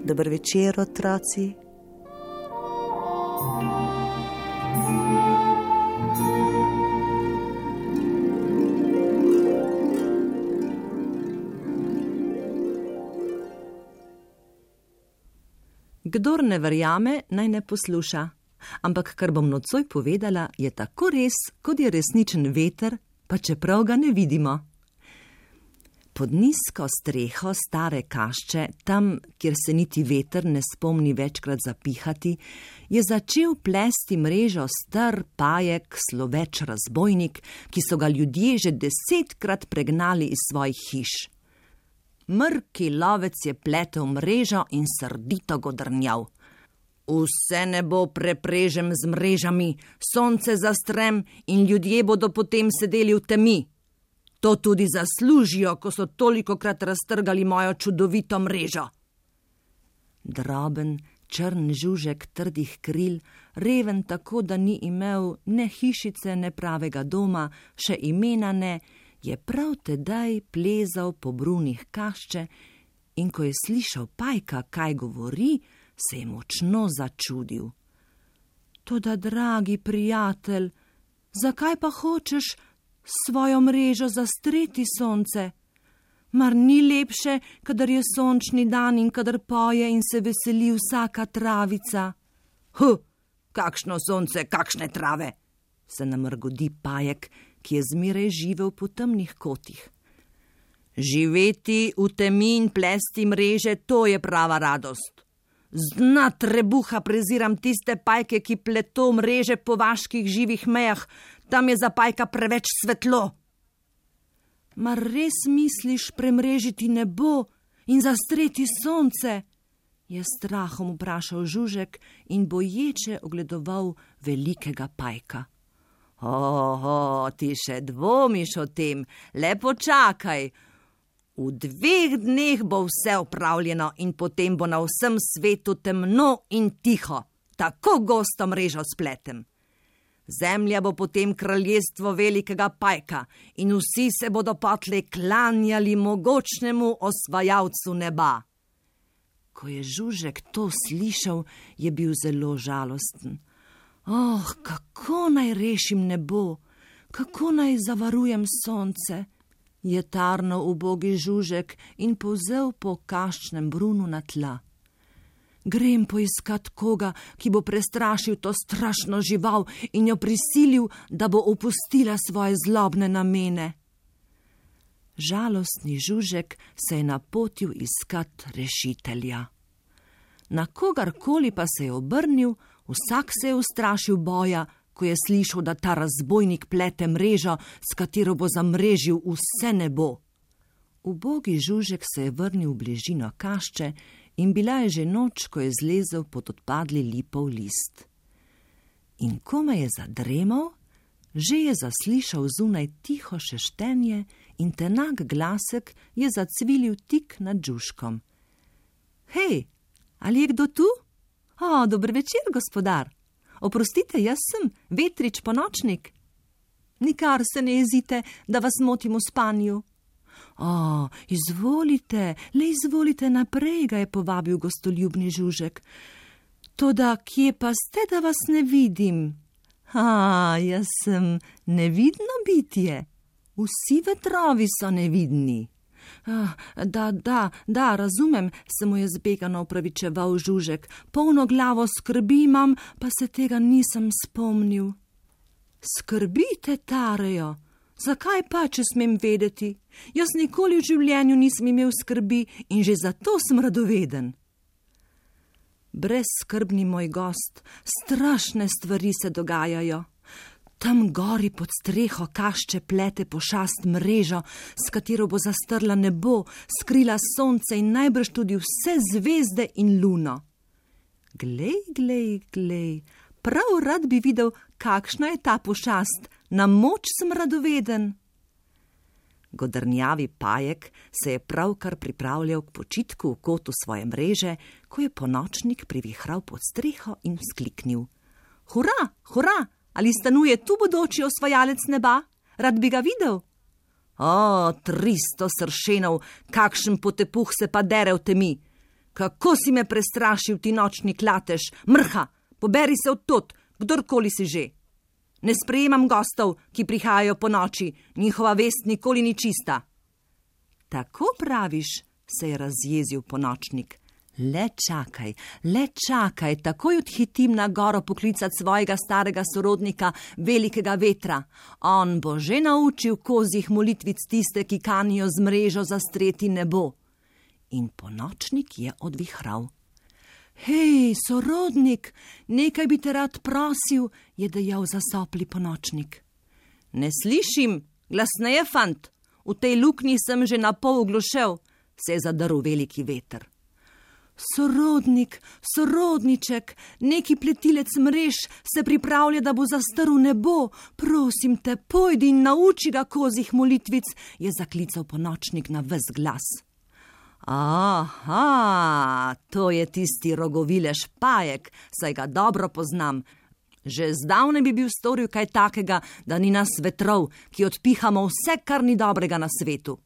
Dober večer, otroci. Kdor ne verjame, naj ne posluša. Ampak kar bom nocoj povedala, je tako res, kot je resničen veter, pa čeprav ga ne vidimo. Pod nizko streho stare kašče, tam, kjer se niti veter ne spomni večkrat zapihati, je začel plesti mrežo star pajek, sloveč razbojnik, ki so ga ljudje že 10-krat pregnali iz svojih hiš. Mrki lovec je pletel mrežo in srdito godrnjal. Vse nebo preprežem z mrežami, sonce zastrem in ljudje bodo potem sedeli v temi. To tudi zaslužijo, ko so tolikokrat raztrgali mojo čudovito mrežo. Droben, črn žužek trdih kril, reven tako, da ni imel ne hišice, ne pravega doma, še imena ne, je prav tedaj plezal po brunih kašče in ko je slišal pajka, kaj govori, se je močno začudil. Toda, dragi prijatelj, zakaj pa hočeš svojo mrežo zastreti, sonce? Mar ni lepše, kadar je sončni dan in kadar poje in se veseli vsaka travica? Kakšno sonce, kakšne trave, se namrgodi pajek, ki je zmeraj živel po temnih kotih. Živeti v temi in plesti mreže, to je prava radost. Z dna trebuha preziram tiste pajke, ki pleto mreže po vaških živih mejah, tam je za pajka preveč svetlo. Mar res misliš premrežiti nebo in zastreti sonce? Je strahom vprašal žužek in boječe ogledoval velikega pajka. Ti še dvomiš o tem, le počakaj. V 2 dneh bo vse opravljeno in potem bo na vsem svetu temno in tiho, tako gosto mrežo spletem. Zemlja bo potem kraljestvo velikega pajka in vsi se bodo potlej klanjali mogočnemu osvajalcu neba. Ko je žužek to slišal, je bil zelo žalosten. Kako naj rešim nebo, kako naj zavarujem sonce, je tarnal ubogi žužek in povzel po kaščnem brunu na tla. Grem poiskat koga, ki bo prestrašil to strašno žival in jo prisilil, da bo opustila svoje zlobne namene. Žalostni žužek se je napotil iskat rešitelja. Na kogarkoli pa se je obrnil, vsak se je ustrašil boja, ko je slišal, da ta razbojnik plete mrežo, s katero bo zamrežil vse nebo. Ubogi žužek se je vrnil v bližino kašče in bila je že noč, ko je zlezel pod odpadli lipov list. In komaj je zadremal, že je zaslišal zunaj tiho šeštenje in tenak glasek je zacvilil tik nad žužkom. Hej, ali je kdo tu? Dober večer, gospodar. Oprostite, jaz sem Vetrič Ponočnik. Nikar se ne jezite, da vas motim v spanju. Izvolite naprej, ga je povabil gostoljubni žužek. Toda kje pa ste, da vas ne vidim? Jaz sem nevidno bitje. Vsi vetrovi so nevidni. Da, razumem, se mu je zbegano opravičeval žužek. Polno glavo skrbi imam, pa se tega nisem spomnil. Skrbite tarejo. Zakaj pa, če smem vedeti? Jaz nikoli v življenju nisem imel skrbi in že zato sem radoveden. Brezskrbni moj gost, strašne stvari se dogajajo. Tam gori pod streho kašče plete pošast mrežo, s katero bo zastrla nebo, skrila sonce in najbrž tudi vse zvezde in luno. Glej, prav rad bi videl, kakšna je ta pošast, na moč sem radoveden. Godrnjavi pajek se je pravkar pripravljal k počitku v kotu svoje mreže, ko je Ponočnik privihral pod streho in vzkliknil. Hura! Ali stanuje tu bodoči osvajalec neba? Rad bi ga videl. 300 sršenov, kakšen potepuh se pa dere v temi. Kako si me prestrašil, ti nočni klatež? Mrha, poberi se odtod, kdorkoli si že. Ne sprejemam gostov, ki prihajajo po noči, njihova vest nikoli ni čista. Tako praviš, se je razjezil ponočnik. Le čakaj, takoj odhitim na goro poklicat svojega starega sorodnika, velikega vetra. On bo že naučil kozjih molitvic tiste, ki kanijo z mrežo zastreti nebo. In ponočnik je odvihral. Hej, sorodnik, nekaj bi te rad prosil, je dejal zasopli ponočnik. Ne slišim, glasneje, fant, v tej luknji sem že na pol oglušel, se je zadrl veliki veter. Sorodniček, neki pletilec mrež se pripravlja, da bo zastrl nebo. Prosim te, pojdi in nauči ga kozjih molitvic, je zaklical ponočnik na ves glas. Aha, to je tisti rogovilež Pajek, saj ga dobro poznam. Že zdavnaj bi bil storil kaj takega, da ni nas vetrov, ki odpihamo vse, kar ni dobrega na svetu.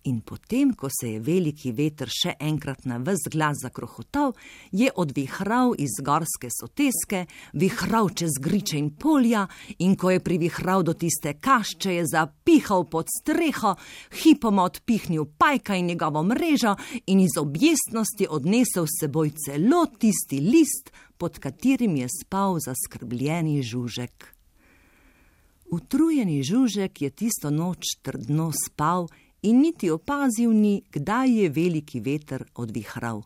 In potem, ko se je veliki veter še enkrat na ves glas zakrohotal, je odvihral iz gorske soteske, vihral čez griče in polja, in ko je privihral do tiste kašče, je zapihal pod streho, hipoma odpihnil Pajka in njegovo mrežo in iz objestnosti odnesel s seboj celo tisti list, pod katerim je spal zaskrbljeni Žužek. Utrujeni Žužek je tisto noč trdno spal in niti opazil ni, kdaj je veliki veter odvihral.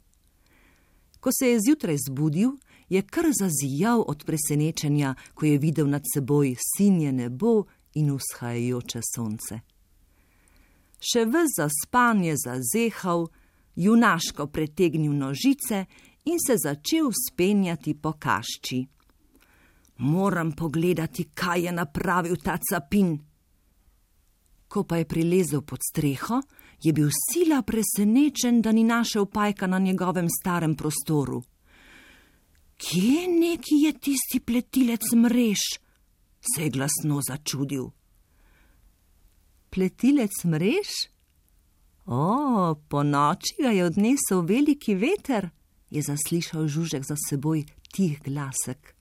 Ko se je zjutraj zbudil, je kar zazijal od presenečenja, ko je videl nad seboj sinje nebo in vzhajajoče sonce. Še ves zaspan je zazehal, junaško pretegnil nožice in se začel spenjati po kašči. Moram pogledati, kaj je napravil ta capin. Ko pa je prilezel pod streho, je bil sila presenečen, da ni našel Pajka na njegovem starem prostoru. Kje neki je tisti pletilec mrež? Se je glasno začudil. Pletilec mrež? Po noči ga je odnesel veliki veter, je zaslišal Žužek za seboj tih glasek.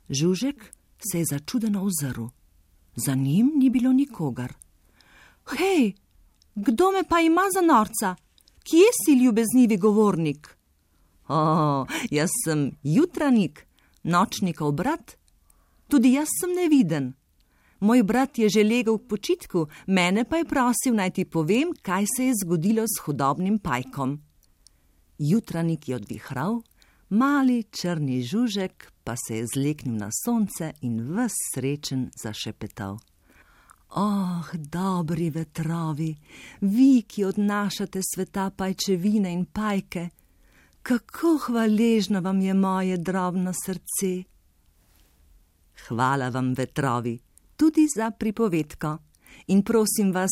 Žužek se je začudeno ozrl. Za njim ni bilo nikogar. Hej, kdo me pa ima za norca? Kje si, ljubeznivi govornik? Jaz sem Jutranik, nočnikov brat. Tudi jaz sem neviden. Moj brat je že legel k počitku, mene pa je prosil, naj ti povem, kaj se je zgodilo s hudobnim Pajkom. Jutranik je odvihral, mali črni Žužek pa se je zleknil na sonce in ves srečen zašepetal. Dobri vetrovi, vi, ki odnašate sveta pajčevine in pajke, kako hvaležno vam je moje drobno srce. Hvala vam, vetrovi, tudi za pripovedko. In prosim vas,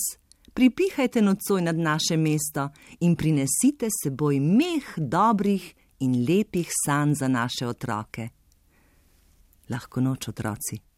pripihajte nocoj nad naše mesto in prinesite seboj meh dobrih in lepih sanj za naše otroke. Lahko noč, otroci.